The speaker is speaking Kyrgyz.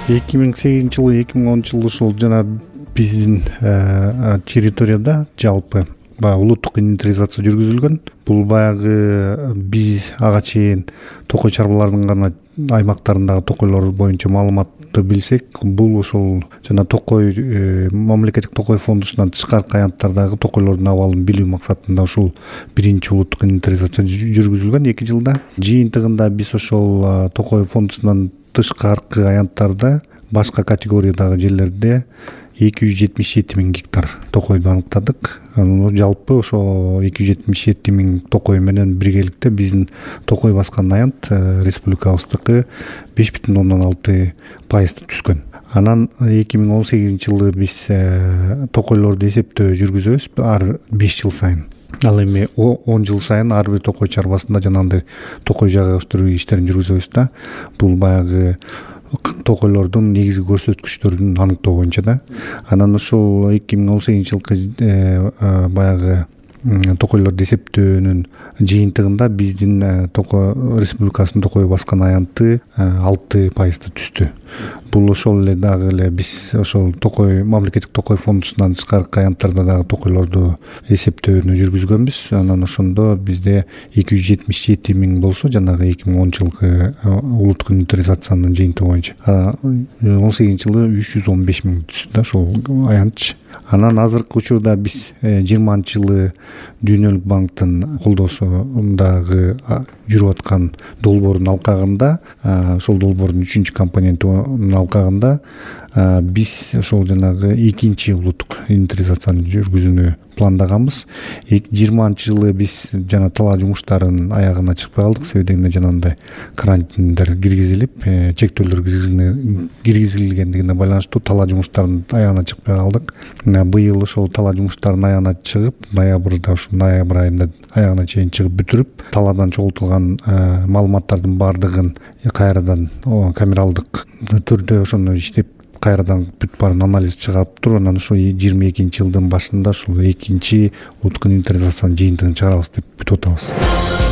2008-жылы 2010-жылы ушул жана биздин территорияда жалпы баягы улуттук инвентаризация жүргүзүлгөн. Бул баягы биз ага чейин токой чарбалардын гана аймактарындагы токойлор боюнча маалыматты билсек, бул ошол жана токой мамлекеттик токой фондусунан тышкаркы аянттардагы токойлордун абалын билүү максатында ушул биринчи улуттук инвентаризация жүргүзүлгөн 2 жылда. Жыйынтыгында биз ошол токой фондусунан тышкаркы аянттарда башка категориядагы жерлерде 277 000 гектар токойду аныктадык. Жалпы ошо 277 000 токой менен биргеликте биздин токой баскан аянт республикабыздыкы 5,6% түскөн. Анан 2018-жылы биз токойлорду эсептөө жүргүзөбүз ар 5 жыл сайын. Ал эми 10 жыл сайын ар бир токой чарбасында жанагындай токой жайга өстүрүү иштерин жүргүзөбүз да. Бул баягы токойлордун негизги көрсөткүчтөрүн аныктоо боюнча да. Анан ошол 2018-жылкы баягы токойлорду эсептөөнүн жыйынтыгында биздин республикасынын токой баскан аянты 6% түстү. Бул ошол эле дагы эле биз ошол токой мамлекеттик токой фондусунан тышкаркы аянттарда дагы токойлорду эсептөөнү жүргүзгөнбүз. Анан ошондо бизде 277 000 болсо, жанагы 2010-жылкы улуттук инвентаризациянын жыйынтыгы боюнча 18-жылы 315 000 түстү да ошол аянтчы. Анан азыркы учурда биз 20-жылы Дүйнөлүк банктын колдоосундагы жүрүп аткан долбоордун алкагында, ошол долбоордун 3-компоненти алкагында биз ошол жанагы 2-чи улуттук инвентаризацияны жүргүзүүнү пландаганбыз. 20-жылы биз жана талаа жумуштарын аягына чыкпай калдык. Себеби дегенде жанагындай карантиндер киргизилип, чектөөлөр киргизилгендигине байланыштуу талаа жумуштарынын аягына чыкпай калдык. Быйыл ошол талаа жумуштарынын аягына чыгып, ноябрда ушул ноябрь айында аягына чейин чыгып бүтүрүп, талаадан чогултулган маалыматтардын баардыгын кайрадан камералдык түрдө ошону иштеп кайрадан бүт баарын анализ чыгарып туруп, анан ошо 22-жылдын башында ушул 2-чи улуттук инвентаризациянын жыйынтыгын чыгарабыз деп бүтүп атабыз.